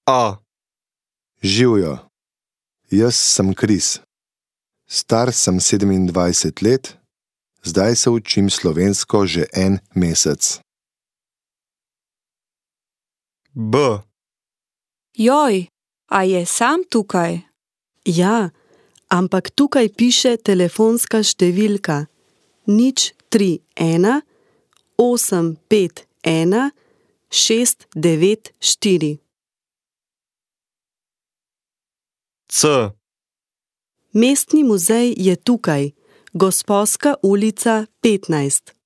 A. Živjo. Jaz sem Kris. Star sem 27 let, zdaj se učim slovensko že en mesec. B. Joj, a je sam tukaj? Ja, ampak tukaj piše telefonska številka 031 851 694. C. Mestni muzej je tukaj, Gosposka ulica 15.